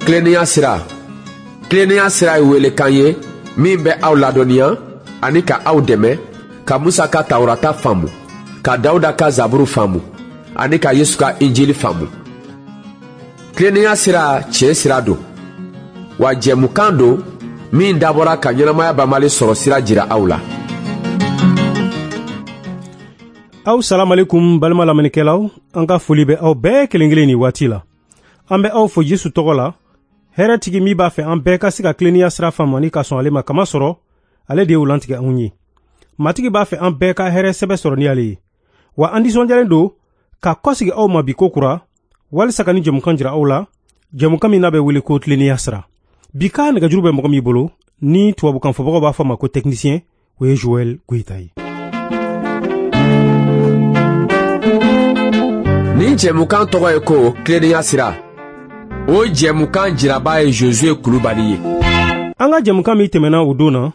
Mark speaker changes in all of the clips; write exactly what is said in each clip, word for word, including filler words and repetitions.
Speaker 1: Tilennenya sira. Tilennenya sira ye welekan ye min bɛ aw ladɔnniya ani ka aw dɛmɛ ka Musa ka Tawurata faamu, ka Dawuda ka Zaburu faamu ani ka Yesu ka Injili faamu. Tilennenya sira tiɲɛ sira don, wa jɛmukan don min dabɔra ka ɲɛnamaya banbali sɔrɔ sira jira aw la.
Speaker 2: Aw salamalekum balima lamɛnnikɛlaw, an ka foli bɛ aw bɛɛ kelen kelen nin waati la. An bɛ aw fo Yesu tɔgɔ la, hɛrɛtigi min b'a fɛ an bɛɛ ka se ka tilennenya sira faamu ani ka sɔn ale ma, kamasɔrɔ ale de y'o lantigɛ anw ye. Matigi b'a fɛ an bɛɛ ka hɛrɛ sɛbɛ sɔrɔ ni ale ye. Wa an nisɔndiyalen don ka kɔsigi aw ma bi ko kura, walisa ka ni jɛmukan jira aw la, jɛmukan min n'a bɛ wele ko tilennenya sira. Bi ka nɛgɛjuru bɛ mɔgɔ min bolo, ni tubabukan fɔbagaw b'a fɔ a ma ko technicien, o ye Joël Goyita ye.
Speaker 1: Nin jɛmukan tɔgɔ ye ko tilennenya sira. O jɛmukan jiraba ye Josué Kulubali ye.
Speaker 2: An ka jɛmukan min tɛmɛna o don na,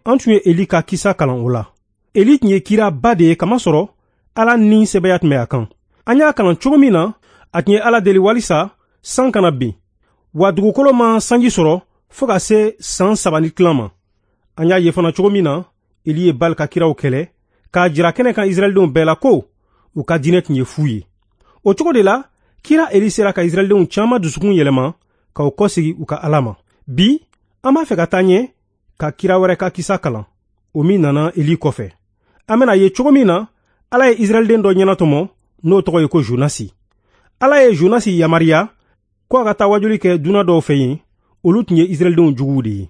Speaker 2: an tun ye Eli ka kisa kalan o la. Eli tun ye kiraba de ye, kamasɔrɔ Ala ni sɛbɛya tun bɛ a kan. An y'a kalan cogo min na, a tun ye Ala deli walisa san kana bin, wa dugukolo ma sanji sɔrɔ fo ka se san saba ni tilan ma. An y'a ye fana cogo min na, Eli ye Bali ka kiraw kɛlɛ k'a jira kɛnɛ kan Israɛldenw bɛɛ la ko u ka diinɛ tun ye fu ye. O cogo de la, kira Eli sera ka Israɛldenw caman dusukun yɛlɛma k'u kɔsegi u ka Ala ma. Bi, an b'a fɛ ka taa ɲɛ ka kira wɛrɛ ka kisa kalan, o min nana Eli kɔfɛ. An bɛna ye cogo min na, Ala ye Israɛlden dɔ ɲɛnatɔmɔ, n'o tɔgɔ ye ko Jonasi. Ala ye Jonasi yamaruya ko a ka taa wajuli kɛ dunan dɔw fɛ yen, olu tun ye Israɛldenw juguw de ye.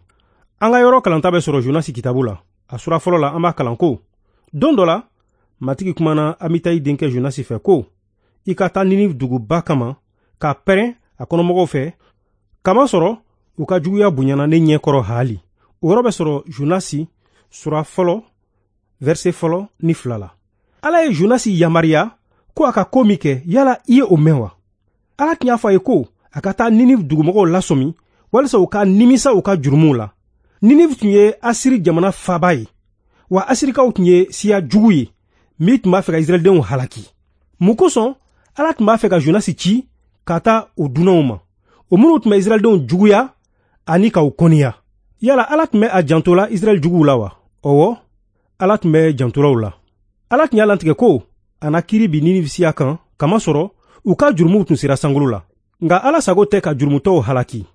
Speaker 2: An ka yɔrɔ kalanta bɛ sɔrɔ Jonasi kitabu la. A sura fɔlɔ la, an b'a kalan ko: Don dɔ la, Matigi kumana Amitayi denkɛ Jonasi fɛ ko: i ka taa Ninive duguba kama ka pɛrɛn a kɔnɔmɔgɔw fɛ, kamasɔrɔ u ka juguya bonyana ne ɲɛ kɔrɔ haali. O yɔrɔ bɛ sɔrɔ Jonasi sura fɔlɔ, verset fɔlɔ ni fila la. Ala ye Jonasi yamaruya ko a ka ko min kɛ, yala i ye o mɛn wa? Ala tun y'a fɔ a ye ko a ka taa Ninive dugumɔgɔw lasɔmi walisa u ka nimisa u ka jurumuw la. Ninive tun ye Asiri jamana faaba ye, wa Asirikaw tun ye siya jugu ye min tun b'a fɛ ka Israɛldenw halaki. Mun kosɔn Ala tun b'a fɛ ka Jonasi ci ka taa o dunanw ma, o minnu tun bɛ Israɛldenw juguya ani k'u kɔniya? Yala Ala tun bɛ a janto la Israɛl juguw la wa? Ɔwɔ, Ala tun bɛ jantola u la. Ala tun y'a lantigɛ ko a na kiiri bin Ninive siya kan, kamasɔrɔ u ka jurumuw tun sera sankolo la. Nka Ala sago tɛ ka jurumutɔw halaki.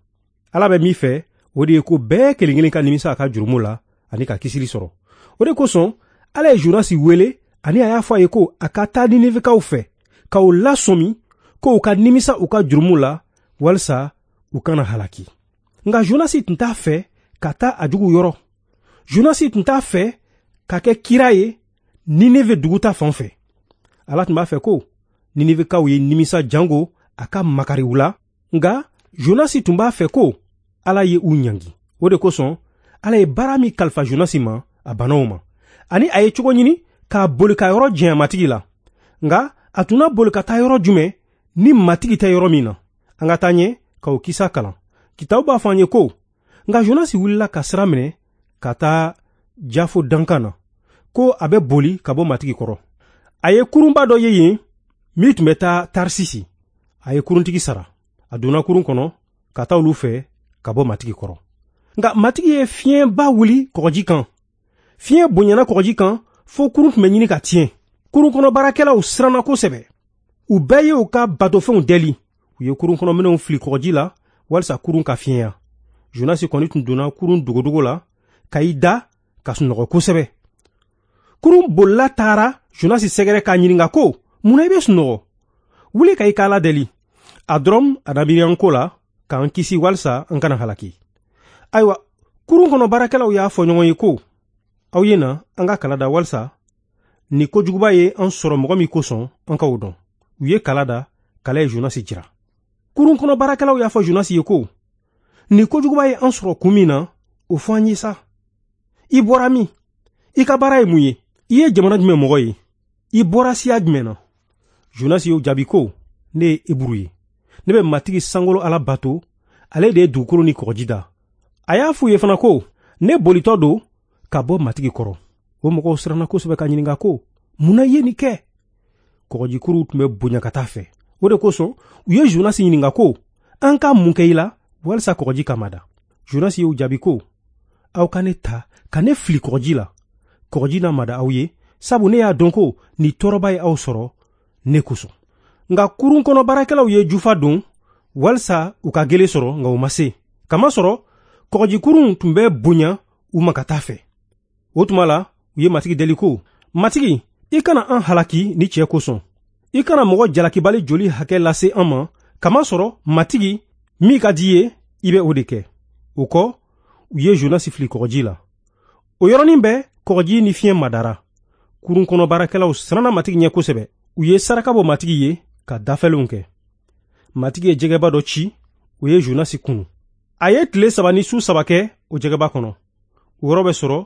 Speaker 2: Ala bɛ min fɛ, o de ye ko bɛɛ kelen kelen ka nimisa a ka jurumu la ani ka kisili sɔrɔ. O de kosɔn Ala ye Jonasi wele ani a y'a fɔ a ye ko a ka taa Ninivekaw fɛ k'u lasɔmi ko u ka nimisa u ka jurumu la walisa u kana halaki. Nka Jonasi tun t'a fɛ ka taa a jugu yɔrɔ. Jonasi tun t'a fɛ ka kɛ kira ye Ninive dugu ta fan fɛ. Ala tun b'a fɛ ko Ninivekaw ye nimisa jango a ka makari u la, nka Jonasi tun b'a fɛ ko Ala ye u ɲangi. O de kosɔn Ala ye baara min kalifa Jonasi ma, a banna o ma, ani a ye cogo ɲini k'a boli ka yɔrɔ janya Matigi la. Nka a tun na boli ka taa yɔrɔ jumɛn ni Matigi tɛ yɔrɔ min na? An ka taa ɲɛ ka o kisa kalan. Kitabu b'a fɔ an ye ko: nka Jonasi wulila ka sira minɛ ka taa Jafo dankan na, ko a bɛ boli ka bɔ Matigi kɔrɔ. A ye kurunba dɔ ye yen min tun bɛ taa Tarsisi. A ye kuruntigi sara. A donna kurun kɔnɔ ka taa olu fɛ ka bɔ Matigi kɔrɔ. Nka Matigi ye fiɲɛba wuli kɔgɔji kan. Fiɲɛ bonyana kɔgɔji kan fo kurun tun bɛ ɲini ka tiɲɛ. Kurun kɔnɔ baarakɛlaw siranna kosɛbɛ. U bɛɛ ye u ka batofɛnw dɛli. U ye kurun kɔnɔ minɛnw fili kɔgɔji la walisa kurun ka fiɲɛya. Jonasi kɔni tun donna kurun dogodogo la ka i da ka sunɔgɔ kosɛbɛ. Kurun bolila taara Jonasi sɛgɛrɛ k'a ɲininka ko: mun na i bɛ sunɔgɔ? Wuli ka i ka Ala deli. A dɔrɔn a na miiri an ko la k'an kisi walisa an kana halaki. Ayiwa, kurun kɔnɔ baarakɛlaw y'a fɔ ɲɔgɔn ye ko: aw ye na an ka kala da walisa ni kojuguba ye an sɔrɔ mɔgɔ min kosɔn an k'o dɔn. U ye kala da, kala ye Jonasi jira. Kurun kɔnɔ baarakɛlaw y'a fɔ Jonasi ye ko: ni kojuguba ye an sɔrɔ kun min na, o fɔ an ye sa. I bɔra min? I ka baara ye mun ye? I ye jamana jumɛn mɔgɔ ye? I bɔra siya jumɛn na? Jonasi y'o jaabi ko: ne ye Eburu ye. Ne bɛ Matigi sankolo Ala bato, ale de ye dugukolo ni kɔgɔji da. A y'a f'u ye fana ko: ne bolitɔ don ka bɔ Matigi kɔrɔ. O mɔgɔw siranna kosɛbɛ ka ɲininka ko: mun na i ye nin kɛ? Kɔgɔjikuruw tun bɛ bonya ka taa fɛ. O de kosɔn u ye Jonasi ɲininka ko: an ka mun kɛ i la walisa kɔgɔji ka mada. Jonasi y'u jaabi ko, aw ka ne ta ka ne fili kɔgɔji la, kɔgɔji na mada aw ye, sabu ne y'a dɔn ko nin tɔɔrɔba ye aw sɔrɔ ne kosɔn. Nka kurun kɔnɔ baarakɛlaw ye jufa don walisa u ka gele sɔrɔ, nka u ma se, kamasɔrɔ kɔgɔjikurun tun bɛ bonya u ma ka taa fɛ. O tuma la u ye Matigi deli ko, Matigi, i kana an halaki ni cɛ kosɔn, i kana mɔgɔ jalakibali joli hakɛ lase an ma, kamasɔrɔ Matigi, min ka di i ye, i bɛ o de kɛ. O kɔ, u ye Jonasi fili kɔgɔji la. O yɔrɔnin bɛɛ kɔgɔji ni fiɲɛ madara. Kurun kɔnɔ baarakɛlaw siranna Matigi ɲɛ kosɛbɛ. U ye saraka bɔ Matigi ye ka dafɛlenw kɛ. Matigi ye jɛgɛba dɔ ci, o ye Jonasi kunu. A ye tile saba ni su saba kɛ o jɛgɛba kɔnɔ. O yɔrɔ bɛ sɔrɔ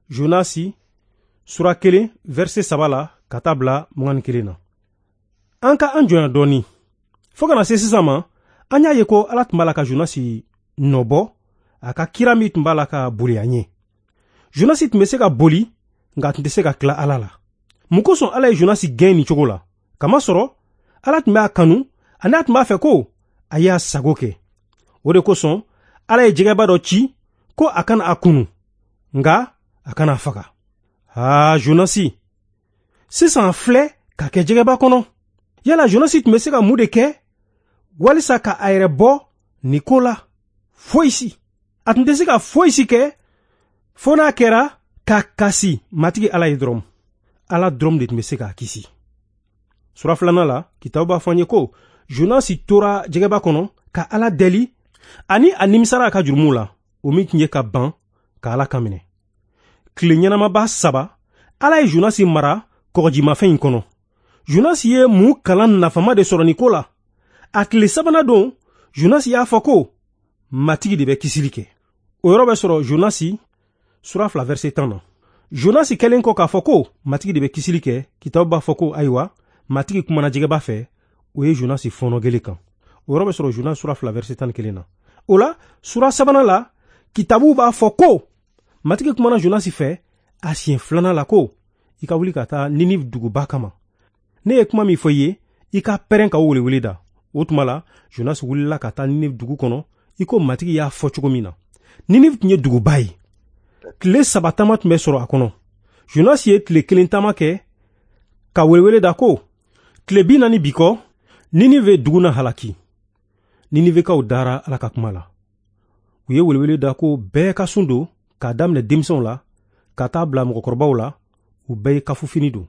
Speaker 2: Jonasi sura kelen verset saba la ka taa bila mugan ni kelen na. An ka an jɔnya dɔɔni. Fo kana se sisan ma, an y'a ye ko Ala tun b'a la ka Jonasi nɔbɔ a ka kira min tun b'a la ka boli a ɲɛ. Jonasi tun bɛ se ka boli, nka a tun tɛ se ka tila Ala la. Mun kosɔn Ala ye Jonasi gɛn nin cogo la? Kamasɔrɔ Ala tun b'a kanu ani a tun b'a fɛ ko a y'a sago kɛ. O de kosɔn Ala ye jɛgɛba dɔ ci ko a kana a kunu, nka a kana a faga. Aa, Jonasi, sisan filɛ ka kɛ jɛgɛba kɔnɔ. Yala Jonasi tun bɛ se ka mun de kɛ walisa ka a yɛrɛ bɔ nin ko la? Foyi si. A tun tɛ se ka foyi si kɛ fo n'a kɛra k'a kasi Matigi Ala ye dɔrɔn. Ala dɔrɔn de tun bɛ se k'a kisi. Sura filanan la, kitabu b'a fɔ an ye ko Jonasi tora jɛgɛba kɔnɔ ka Ala deli ani a nimisara a ka jurumuw la, o min tun ye ka ban ka Ala kan minɛ. Tile ɲɛnamaba saba, Ala ye Jonasi mara kɔgɔjimafɛn in kɔnɔ. Jonasi ye mun kalan nafama de sɔrɔ nin ko la? A tile sabanan don, Jonasi y'a fɔ ko Matigi de bɛ kisili kɛ. O yɔrɔ bɛ sɔrɔ Jonasi sura fila verset tan na. Jonasi kɛlen kɔ k'a fɔ ko Matigi de bɛ kisili kɛ, kitabu b'a fɔ ko ayiwa, Matigi kumana jɛgɛba fɛ, o ye Jonasi fɔɔnɔ gele kan. O yɔrɔ bɛ sɔrɔ Jonasi sura fila verset tan ni kelen na. O la, sura sabanan la, kitabu b'a fɔ ko Matigi kumana Jonasi fɛ a siɲɛ filanan la ko i ka wuli ka taa Ninive duguba kama. Ne ye kuma min fɔ i ye, i ka pɛrɛn ka o welewele da. O tuma la, Jonasi wulila ka taa Ninive dugu kɔnɔ i ko Matigi y'a fɔ cogo min na. Ninive tun ye duguba ye. Tile saba taama tun bɛ sɔrɔ a kɔnɔ. Jonasi ye tile kelen taama kɛ ka welewele da ko tile bi naani bi kɔ, Ninive dugu na halaki. Ninivekaw dara Ala ka kuma la. U ye welewele da ko bɛɛ ka sun don, k'a daminɛ denmisɛnw la ka taa bila mɔgɔkɔrɔbaw la, u bɛɛ ye kafufini don.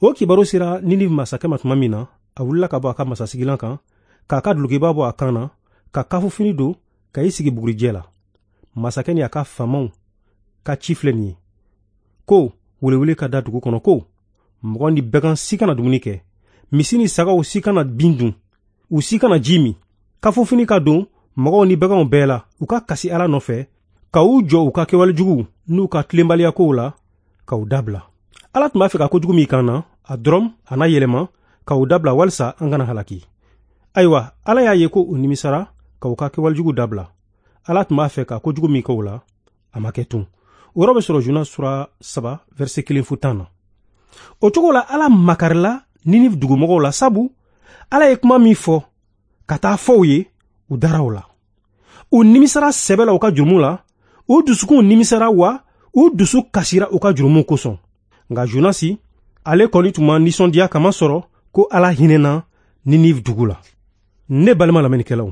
Speaker 2: O kibaru sera Ninive masakɛ ma tuma min na, a wulila ka bɔ a ka masasigilan kan, k'a ka dulokiba bɔ a kan na, ka kafufini don, ka i sigi bugurijɛ la. Masakɛ ni a ka faamaw ka ci filɛ nin ye ko welewele ka da dugu kɔnɔ ko mɔgɔ ni bagan si kana dumuni kɛ, misi ni sagaw si kana bin dun, u si kana ji min. Kafufini ka don mɔgɔw ni baganw bɛɛ la, u ka kasi Ala nɔfɛ, ka u jɔ u ka kɛwale juguw n'u ka tilenbaliyakow la, ka u dabila. Ala tun b'a fɛ ka kojugu min kan na, a dɔrɔn a n'a yɛlɛma ka u dabila walisa an kana halaki. Ayiwa, Ala y'a ye ko u nimisara ka u ka kɛwale jugu dabila. Ala tun b'a fɛ ka kojugu min kɛ u la, a ma kɛ tun. O yɔrɔ bɛ sɔrɔ Jonas sura saba verset kelen fo tan na. O cogo la, Ala makarila Ninive dugumɔgɔw la, sabu Ala ye kuma min fɔ ka taa fɔ u ye, u dara o la. U nimisara sɛbɛ la u ka jurumu la, u dusukunw nimisara wa u dusu kasira u ka jurumu kosɔn. Nka Jonasi, ale kɔni tun ma nisɔndiya kamasɔrɔ ko Ala hinɛna Ninive dugu la. Ne balima lamɛnnikɛlaw,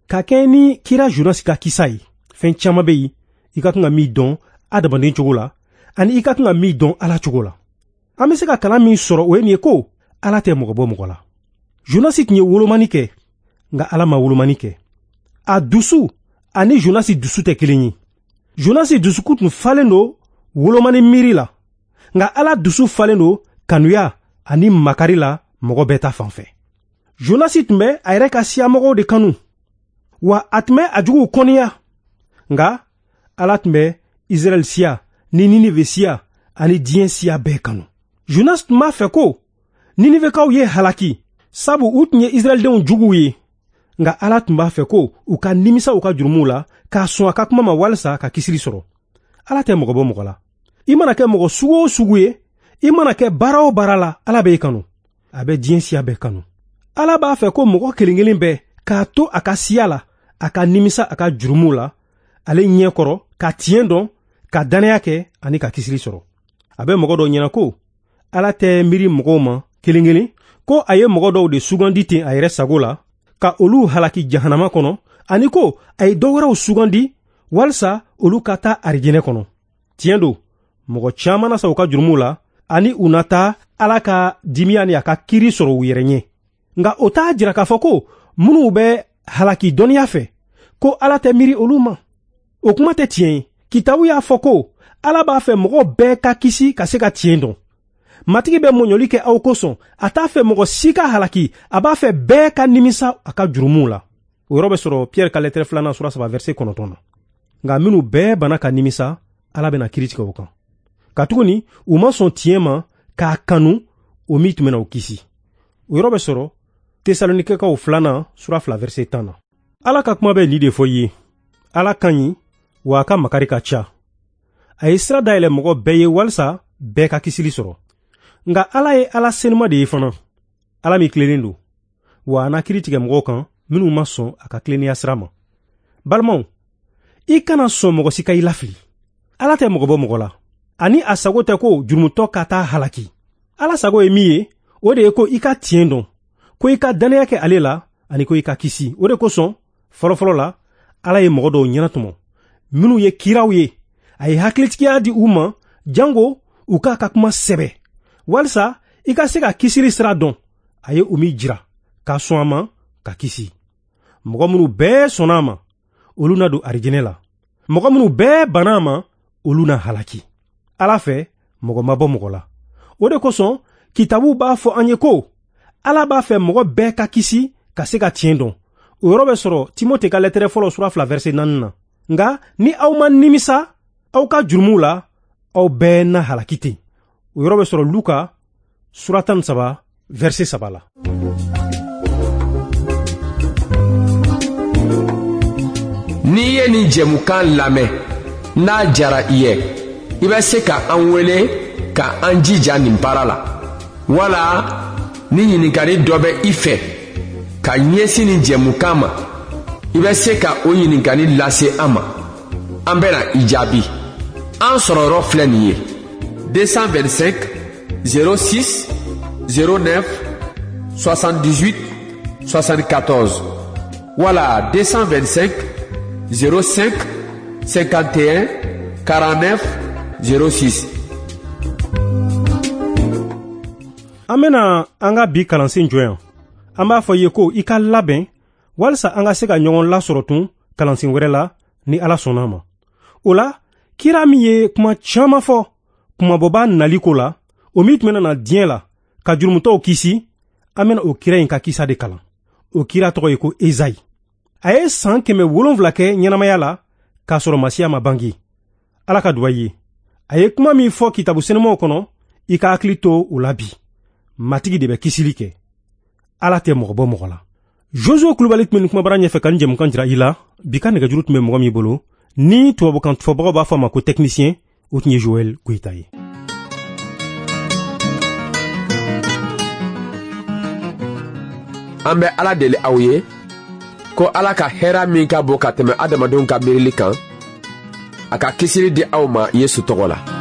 Speaker 2: ka kɛɲɛ ni kira Jonasi ka kisa ye, fɛn caman bɛ yen i ka kan ka min dɔn adamaden cogo la, ani i ka kan ka min dɔn Ala cogo la. An bɛ se ka kalan min sɔrɔ o ye nin ye ko Ala tɛ mɔgɔ bɔ mɔgɔ la. Jonasi tun ye wolomani kɛ, nka Ala ma wolomani kɛ. A dusu ani Jonasi dusu tɛ kelen ye. Jonasi dusukun tun falen don wolomani miiri la, nka Ala dusu falen don kanuya ani makari la mɔgɔ bɛɛ ta fan fɛ. Jonasi tun bɛ a yɛrɛ ka siyamɔgɔw de kanu, wa a tun bɛ a juguw kɔniya, nka Ala tun bɛ Israɛl siya ni Ninive siya ani diɲɛ siya bɛɛ kanu. Jonas tun b'a fɛ ko Ninivekaw ye halaki, sabu u tun ye Israɛldenw juguw ye, nka Ala tun b'a fɛ ko u ka nimisa u ka jurumuw la k'a sɔn a ka kuma ma walisa ka kisili sɔrɔ. Ala tɛ mɔgɔ bɔ mɔgɔ la. I mana kɛ mɔgɔ sugu o sugu ye, i mana kɛ baara o baara la, Ala b'e kanu. A bɛ diɲɛ siya bɛɛ kanu. Ala b'a fɛ ko mɔgɔ kelen kelen bɛɛ k'a to a ka siya la a ka nimisa a ka jurumu la ale ɲɛ kɔrɔ, ka tiɲɛ dɔn, ka dannaya kɛ ani ka kisili sɔrɔ. A bɛ mɔgɔ dɔw ɲɛna ko Ala tɛ miiri mɔgɔw ma kelen kelen, ko a ye mɔgɔ dɔw de sugandi ten a yɛrɛ sago la ka olu halaki jahanama kɔnɔ, ani ko a ye dɔ wɛrɛw sugandi walisa olu ka taa arijinɛ kɔnɔ. Tiɲɛ don, mɔgɔ caman na sa u ka jurumuw la ani u na taa Ala ka dimiya ni a ka kiiri sɔrɔ u yɛrɛ ɲɛ. Nka o t'a jira k'a fɔ ko minnu bɛ halaki dɔnniya fɛ, ko Ala tɛ miiri olu ma. O kuma tɛ tiɲɛ ye. Kitabu y'a fɔ ko Ala b'a fɛ mɔgɔ bɛɛ ka kisi ka se ka tiɲɛ dɔn. Matigi bɛ mɔɲɔli kɛ aw kosɔn, a t'a fɛ mɔgɔ si ka halaki, a b'a fɛ bɛɛ ka nimisa a ka jurumuw la. O yɔrɔ bɛ sɔrɔ Pierre ka lɛtɛrɛ filanan sura saba verset kɔnɔntɔn na. Nka minnu bɛɛ banna ka nimisa, Ala bɛna kiiri tigɛ o kan. Katuguni u ma sɔn tiɲɛ ma k'a kanu, o min tun bɛna u kisi. O yɔrɔ bɛ sɔrɔ Tesalonikɛkaw filanan sura fila verset tan na. Ala ka kuma bɛ nin de fɔ i ye. Ala ka ɲi, wa a ka makari ka ca. A ye sira dayɛlɛ mɔgɔ bɛɛ ye walisa bɛɛ ka kisili sɔrɔ. Nka Ala ye Ala senuma de ye fana, Ala min tilennen don, wa a na kiiri tigɛ mɔgɔw kan minnu ma sɔn a ka tilennenya sira ma. Balimaw, i kana sɔn mɔgɔ si ka i lafili. Ala tɛ mɔgɔ bɔ mɔgɔ la, ani a sago tɛ ko jurumutɔ ka taa halaki. Ala sago ye min ye, o de ye ko i ka tiɲɛ dɔn, ko i ka dannaya kɛ ale la, ani ko i ka kisi. O de kosɔn fɔlɔfɔlɔ la, Ala ye mɔgɔ dɔw ɲɛnatɔmɔ minnu ye kiraw ye. A ye hakilitigiya di u ma jango u k'a ka kuma sɛbɛ, walisa i ka se ka kisili sira dɔn. A ye o min jira ka sɔn a ma ka kisi. Mɔgɔ minnu bɛɛ sɔnna a ma, olu na don arijinɛ la. Mɔgɔ minnu bɛɛ banna a ma, olu na halaki. Ala fɛ, mɔgɔ ma bɔ mɔgɔ la. O de kosɔn kitabu b'a fɔ an ye ko Ala b'a fɛ mɔgɔ bɛɛ ka kisi ka se ka tiɲɛ dɔn. O yɔrɔ bɛ sɔrɔ Timote ka lɛtɛrɛ fɔlɔ sura fila verset naani na. Nka ni aw ma nimisa aw ka jurumuw la, aw bɛɛ na halaki ten. O yɔrɔ bɛ sɔrɔ Luka sura tan ni saba verset saba la.
Speaker 1: N'i ye nin jɛmukan lamɛn, n'a diyara i ye, i bɛ se ka an wele ka an jija nin baara la. Wala ni ɲininkali dɔ bɛ i fɛ ka ɲɛsin nin jɛmukan ma, i bɛ se ka o ɲininkali lase an ma. An bɛna i jaabi. An sɔrɔ yɔrɔ filɛ nin ye: deux cent vingt-cinq zéro six zéro neuf soixante-dix-huit soixante-quatorze wala deux cent vingt-cinq zéro cinq cinquante et un quarante-neuf zéro six.
Speaker 2: An bɛna an ka bi kalansen jɔ yan. An b'a fɔ i ye ko i ka labɛn walisa an ka se ka ɲɔgɔn lasɔrɔ tun kalansen wɛrɛ la ni Ala sɔnna a ma. O la, kira min ye kuma caman fɔ kumabɔba nali ko la, o min tun bɛna na diɲɛ la ka jurumutɔw kisi, an bɛna o kira in ka kisa de kalan. O kira tɔgɔ ye ko Ezayi. A ye san kɛmɛ wolonfila kɛ ɲɛnamaya la k'a sɔrɔ Masiya ma bange. Ala ka duwa ye. A ye kuma min fɔ kitabu senumaw kɔnɔ, i ka hakili to o la bi. Matigi de bɛ kisili kɛ. Ala tɛ mɔgɔ bɔ mɔgɔ la. Josué Kulubali tun bɛ nin kumabara ɲɛfɛ ka nin jɛmukan jira i la. Bi ka nɛgɛjuru tun bɛ mɔgɔ min bolo, ni tubabukan fɔbagaw b'a fɔ a ma ko technicien, o tun ye Joël Goyita ye.
Speaker 1: An bɛ Ala deli aw ye ko Ala ka hɛrɛ min ka bon ka tɛmɛ adamadenw ka miirili kan, a ka kisili di aw ma Yesu tɔgɔ la.